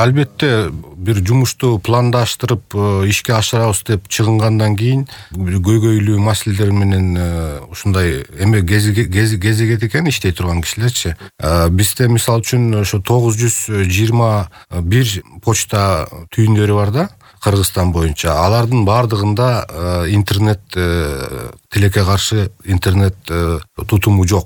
Албетте бир жумушту пландаштырып ишке ашырабыз деп чыгынгандан кийин көйгөйлүү маселелер менен ушундай эме кезигет экен иштей турган кишилерчи. Бизде мисалы үчүн ошо 921 почта түйүндөрү бар да Кыргызстан боюнча. Алардын бардыгында интернет тилекке каршы интернет тутуму жок.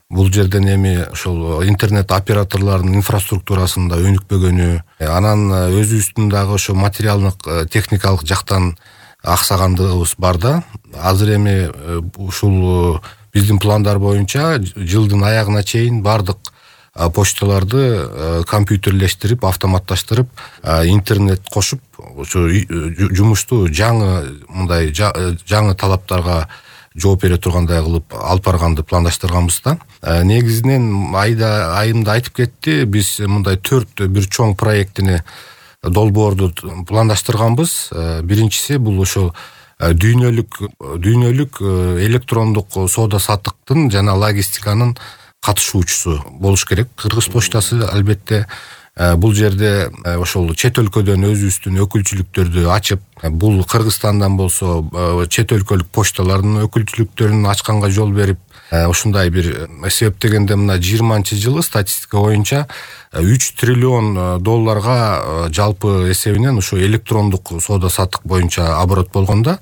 Бул жерден эми ошол интернет операторлорунун инфраструктурасында өнүкпөгөнү, анан өзүбүздүн дагы ошо материалдык техникалык жактан аксагандыгыбыз бар да. Азыр эми ушул биздин пландар боюнча жылдын аягына чейин бардык почталарды компьютерлештирип, автоматташтырып, интернет кошуп, ошо жумушту жаңы талаптарга жооп бере тургандай кылып алып барганды пландаштырганбыз да. Негизинен айымда айтып кетти, биз мындай 4 бир чоң проектини долбоорду пландаштырганбыз. Биринчиси бул ошо дүйнөлүк электрондук соода саттыктын жана логистиканын катышуучусу болуш керек. Кыргыз почтасы албетте бул жерде ошол чет өлкөдөн өзүбүздүн өкүлчүлүктөрдү ачып, бул Кыргызстандан болсо чет өлкөлүк почталардын өкүлчүлүктөрүн ачканга жол берип, ушундай бир эсептегенде мына 20-жылы статистика боюнча 3 триллион долларга жалпы эсебинен ошо электрондук соода саттык боюнча оборот болгон да.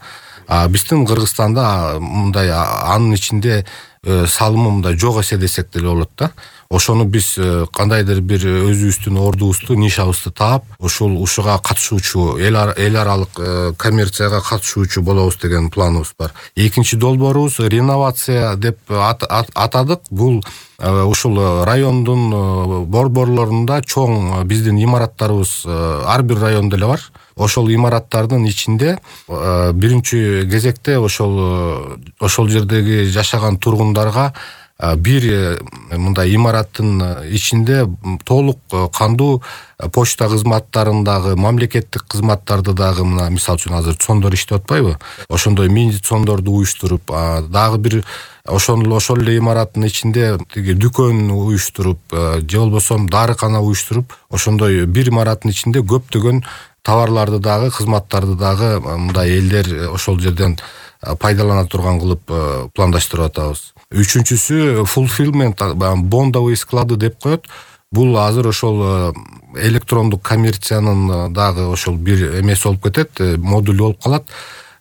Биздин Кыргызстанда мындай анын ичинде салымы мындай жок эсе десек деле болот да. Ошону биз кандайдыр бир өзүбүздүн ордубузду, нишабызды таап, ушуга катышуучу, эл аралык коммерцияга катышуучу болобуз деген планыбыз бар. Экинчи долбоорубуз реновация деп атадык. Бул ушул райондун борборлорунда чоң биздин имараттарыбыз ар бир райондо эле бар. Ошол имараттардын ичинде биринчи кезекте ошол жердеги жашаган тургундарга бир мындай имараттын ичинде толук кандуу почта кызматтарындагы мамлекеттик кызматтарды дагы, мына мисалы үчүн азыр цондор иштеп атпайбы? Ошондой мини цондорду уюштуруп, дагы бир ошол эле имараттын ичинде тиги дүкөн уюштуруп, же болбосо дарыкана уюштуруп, ошондой бир имараттын ичинде көптөгөн товарларды дагы, кызматтарды дагы мындай элдер ошол жерден пайдалана турган кылып пландаштырып атабыз. Үчүнчүсү fulfillment, бондовый склады деп коет. Бул азыр ошол электрондук коммерциянын дагы ошол бир эмеси болуп кетет, модуль болуп калат.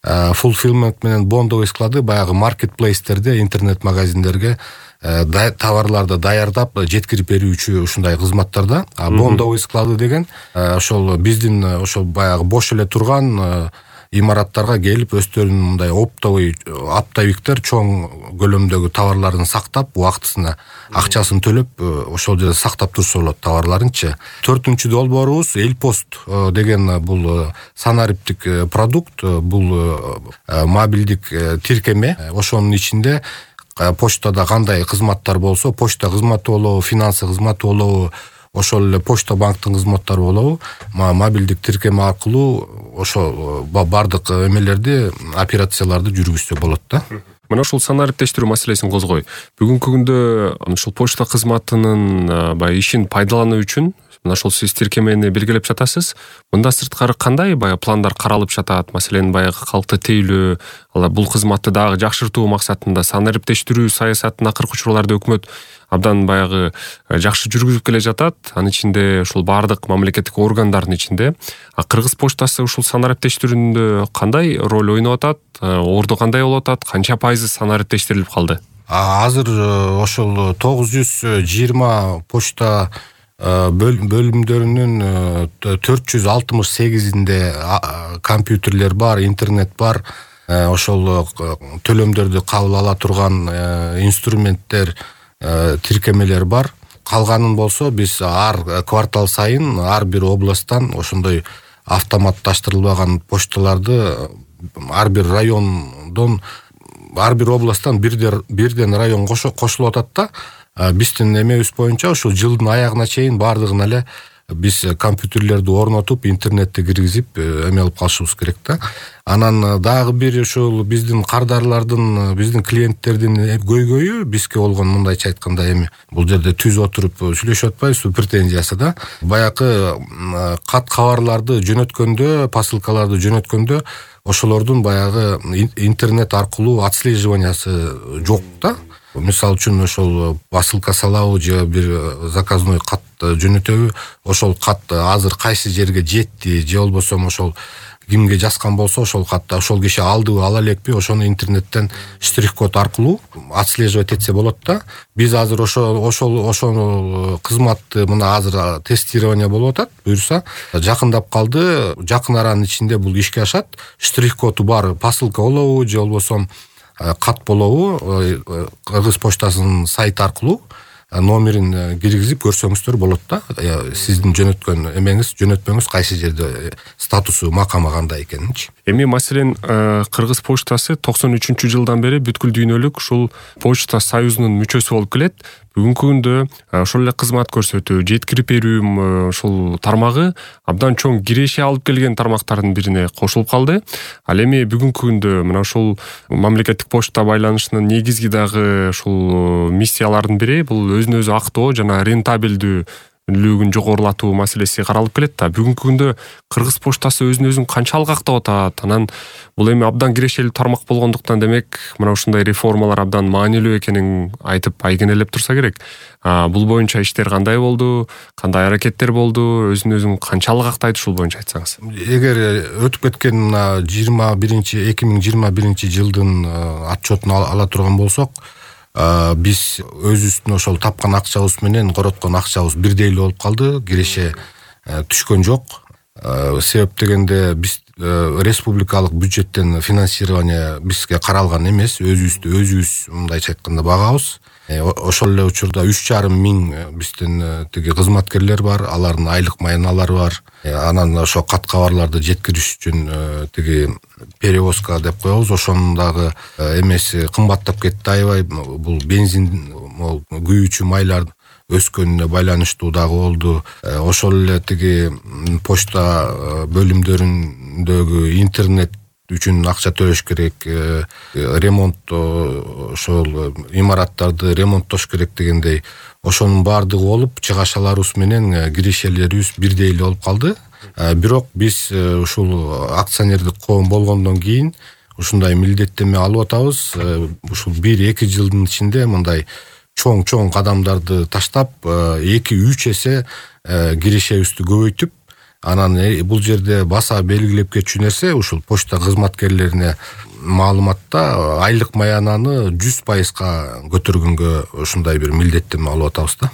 Fulfillment менен бондовый склады баягы маркетплейстерде, интернет магазиндерге товарларды даярдап жеткирип берүүчү ушундай кызматтарда. Бондовый склады деген ошол биздин ошол баягы бош эле турган имараттарга келип, өздөрүнүн мындай оптовиктер чоң көлөмдөгү товарларын сактап, убактысына акчасын төлөп, ошол жерде сактап турса болот товарларынчы. Төртүнчү долбоорубуз Элпост деген бул санариптик продукт, бул мобилдик тиркеме. Ошонун ичинде почтада кандай кызматтар болсо, почта кызматы болобу, финансы кызматы болобу, ошол эле почта банктын кызматтары болобу, мобилдик тиркеме аркылуу ошо бардык эмелерди, операцияларды жүргүзсө болот да. Мына ушул санариптештирүү маселесин козгой. Бүгүнкү күндө ушул почта кызматынын ишин пайдалануу үчүн мына ошол сиз тиркемени белгилеп жатасыз. Мындан сырткары кандай пландар каралып жатат? Маселен, калкты тейлөө, бул кызматты дагы жакшыртуу максатында санариптештирүү саясатын акыркы учурларда өкмөт абдан жакшы жүргүзүп келе жатат. Анын ичинде ушул бардык мамлекеттик органдардын ичинде Кыргыз почтасы ушул санариптештирүүндө кандай роль ойноп атат? Орду кандай болуп атат? Канча пайызы санариптештирилип калды? Азыр ошол 920 почта бөлүмдөрүнүн 468-инде компьютерлер бар, интернет бар, ошол төлөмдөрдү кабыл ала турган инструменттер, тиркемелер бар. Калганын болсо биз ар квартал сайын ар бир областтан ошондой автоматташтырылбаган почталарды ар бир райондон, ар бир областтан бирден район кошулуп атат да. Биздин эмебиз боюнча ушул жылдын аягына чейин бардыгын эле биз компьютерлерди орнотуп интернетти киргизип эме алып калышыбыз керек да. Анан дагы бир ошол биздин кардарлардын, биздин клиенттердин көйгөйү бизге болгон, мындайча айтканда, эми бул жерде түз отуруп сүйлөшүп атпайбызбы, претензиясы да. Баягы кат кабарларды жөнөткөндө, посылкаларды жөнөткөндө ошолордун баягы интернет аркылуу отслеживаниясы жок да. Мисалы үчүн ошол посылка салабы же бир заказной кат жөнөтөбү, ошол кат азыр кайсы жерге жетти же болбосо ошол кимге жазган болсо ошол катты ошол киши алдыбы, ала элекпи, ошону интернеттен штрих-код аркылуу отслеживать этсе болот да. Биз азыр ошол кызматты мына азыр тестирование болуп атат. Буюрса жакындап калды, жакын аранын ичинде бул ишке ашат. Штрих-коду бар посылка болобу же болбосо кат болобу, Кыргыз почтасынын сайты аркылуу номерин киргизип көрсөңүздөр болот да. Сиздин жөнөткөн эмеңиз, жөнөтмөңүз кайсы жерде, статусу, макамы кандай экенинчи. Эми маселен Кыргыз почтасы 93-жылдан бери бүткүл дүйнөлүк ушул почта союзунун мүчөсү болуп келет. Бүгүнкү күндө ошол эле кызмат көрсөтүү, жеткирип берүү ушул тармагы абдан чоң киреше алып келген тармактардын бирине кошулуп калды. Ал эми бүгүнкү күндө мына ушул мамлекеттик почта байланышынын негизги дагы ушул миссияларынын бири бул өзүн өзү актоо жана рентабелдүүлүгүн жогорулатуу маселеси каралып келет да. Бүгүнкү күндө Кыргыз почтасы өзүн канчалык актап атат? Анан бул эми абдан кирешелүү тармак болгондуктан демек мына ушундай реформалар абдан маанилүү экенин айтып айгинелеп турса керек. Бул боюнча иштер кандай болду? Кандай аракеттер болду? Өзүн канчалык актайт, ушул боюнча айтсаңыз. Эгер өтүп кеткен 2021 жылдын отчетун ала турган болсок, биз өзүбүздүн ошол тапкан акчабыз менен короткон акчабыз бирдей эле болуп калды. Киреше түшкөн жок. Себеп дегенде биз республикалык бюджеттен финансирование бизге каралган эмес. Өзүбүз мындайча айтканда багабыз. Ошол эле учурда 3,5 миң биздин тиги кызматкерлер бар, алардын айлык майыналары бар. Анан ошо кат кабарларды жеткириш үчүн тиги перевозка деп коебуз. Ошонун дагы эмеси кымбаттап кетти аябай. Бул бензин, күйүүчү майлар өскөнүнө байланыштуу дагы болду. Ошол эле тиги почта бөлүмдөрүндөгү интернет үчүн акча төлөш керек, ремонт, ошол имараттарды ремонттош керек дегендей, ошонун баардыгы болуп, чыгашаларыбыз менен кирешелерибиз бирдей эле болуп калды. Бирок биз ушул акционердик коом болгондон кийин ушундай милдеттеме алып атабыз. Ушул 1-2 жылдын ичинде мындай чоң кадамдарды таштап, 2-3 эсе кирешебизди көбөйтүп, анан бул жерде баса белгилеп кетчү нерсе, ушул почта кызматкерлерине маалыматта айлык маянаны 100% көтөргөнгө ушундай бир милдеттеме алып атабыз да.